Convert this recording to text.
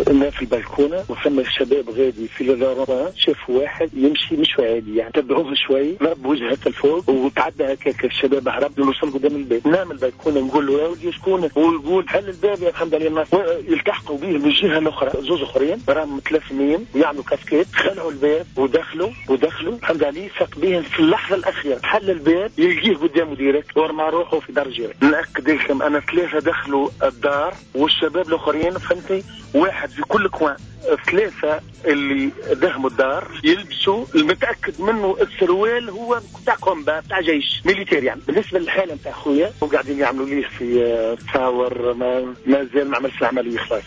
انا في البلكونه وثم شباب غادي في الرابعة، شافوا واحد يمشي مش عادي، يعني تبعوه شوي، ضرب وجهه هكا الفوق وتعدى هكاك، الشباب هرب، وصل قدام الباب. نام البلكونه نقول له يا ولدي شكون؟ ويقول حل الباب يا محمد علي الناصر. يلتحقوا به من الجهة الاخرى زوز اخرين راهم متلثمين ويعملوا كاسكيت، خلعوا الباب ودخلوا. محمد علي فاق بهم في اللحظة الاخيرة، حل الباب يلقيه قدامه direct ورمى روحه في دار جيران. ناكد لكم انا ثلاثة دخلوا الدار والشباب الاخرين، فهمتي، واحد في كل coin. ثلاثة اللي دهموا الدار يلبسوا المتاكد منه السروال هو تاع combat، تاع جيش militaire. يعني بالنسبة للحالة نتاع خويا وقاعدين يعملوا ليه في تصاور، ما زال ما عملش العملية خلاص.